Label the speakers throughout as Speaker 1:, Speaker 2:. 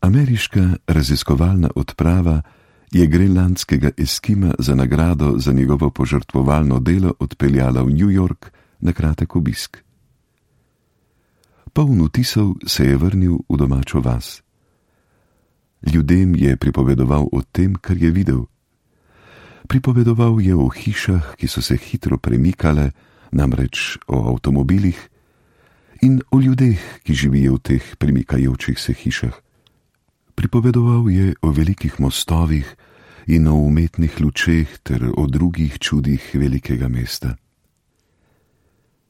Speaker 1: Ameriška raziskovalna odprava je grenlandskega eskima za nagrado za njegovo požrtvovalno delo odpeljala v New York na kratek obisk. Poln vtisov se je vrnil v domačo vas. Ljudem je pripovedoval o tem, kar je videl. Pripovedoval je o hišah, ki so se hitro premikale, namreč o avtomobilih, in o ljudeh, ki živijo v teh premikajočih se hišah. Pripovedoval je o velikih mostovih in o umetnih lučeh ter o drugih čudih velikega mesta.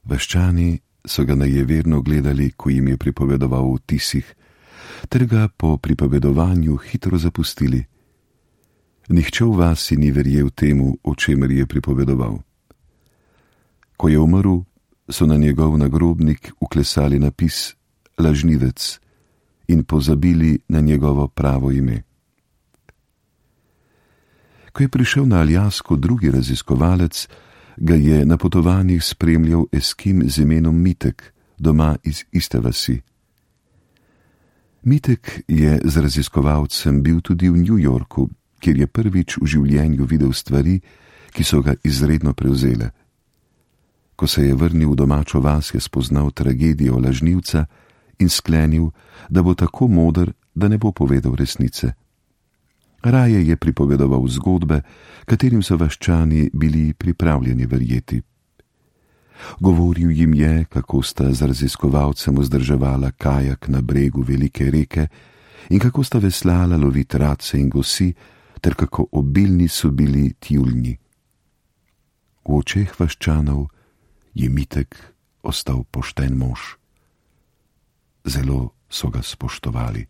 Speaker 1: Vaščani so ga najeverno gledali, ko jim je pripovedoval o vtisih, ter ga po pripovedovanju hitro zapustili. Nihče v vasi ni verjel temu, o čemer je pripovedoval. Ko je umrl, so na njegov nagrobnik uklesali napis Lažnivec in pozabili na njegovo pravo ime. Ko je prišel na Aljasko drugi raziskovalec, ga je na potovanjih spremljal eskim z imenom Mitek, doma iz iste vasi. Mitek je z raziskovalcem bil tudi v New Yorku, kjer je prvič v življenju videl stvari, ki so ga izredno prevzele. Ko se je vrnil v domačo vas, je spoznal tragedijo lažnivca in sklenil, da bo tako moder, da ne bo povedal resnice. Raje je pripovedoval zgodbe, katerim so vaščani bili pripravljeni verjeti. Govoril jim je, kako sta z raziskovalcem vzdrževala kajak na bregu velike reke in kako sta veslala lovit race in gosi, ter kako obilni so bili tjuljni. V očeh vaščanov je Mitek ostal pošten mož. Zelo so ga spoštovali.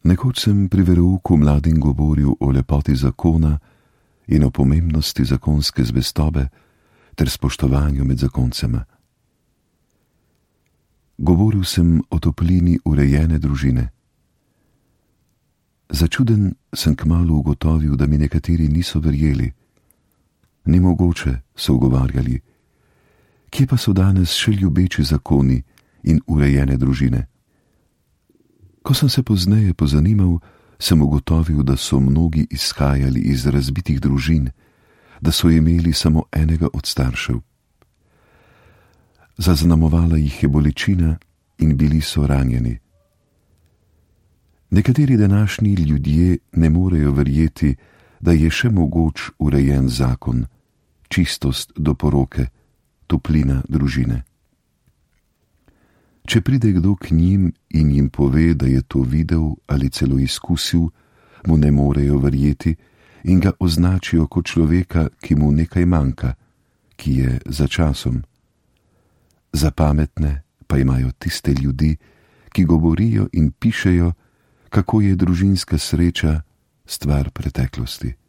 Speaker 1: Nekoč sem pri verouku mladim govoril o lepoti zakona in o pomembnosti zakonske zvestobe ter spoštovanju med zakoncema. Govoril sem o toplini urejene družine. Začuden sem kmalu ugotovil, da mi nekateri niso verjeli. Ni mogoče, so ugovarjali. Kje pa so danes še ljubeči zakoni in urejene družine? Ko sem se pozneje pozanimal, sem ugotovil, da so mnogi izhajali iz razbitih družin, da so imeli samo enega od staršev. Zaznamovala jih je bolečina in bili so ranjeni. Nekateri današnji ljudje ne morejo verjeti, da je še mogoč urejen zakon, čistost do poroke, toplina družine. Če pride kdo k njim in jim pove, da je to videl ali celo izkusil, mu ne morejo verjeti in ga označijo kot človeka, ki mu nekaj manjka, ki je za časom. Za pametne pa imajo tiste ljudi, ki govorijo in pišejo, kako je družinska sreča stvar preteklosti.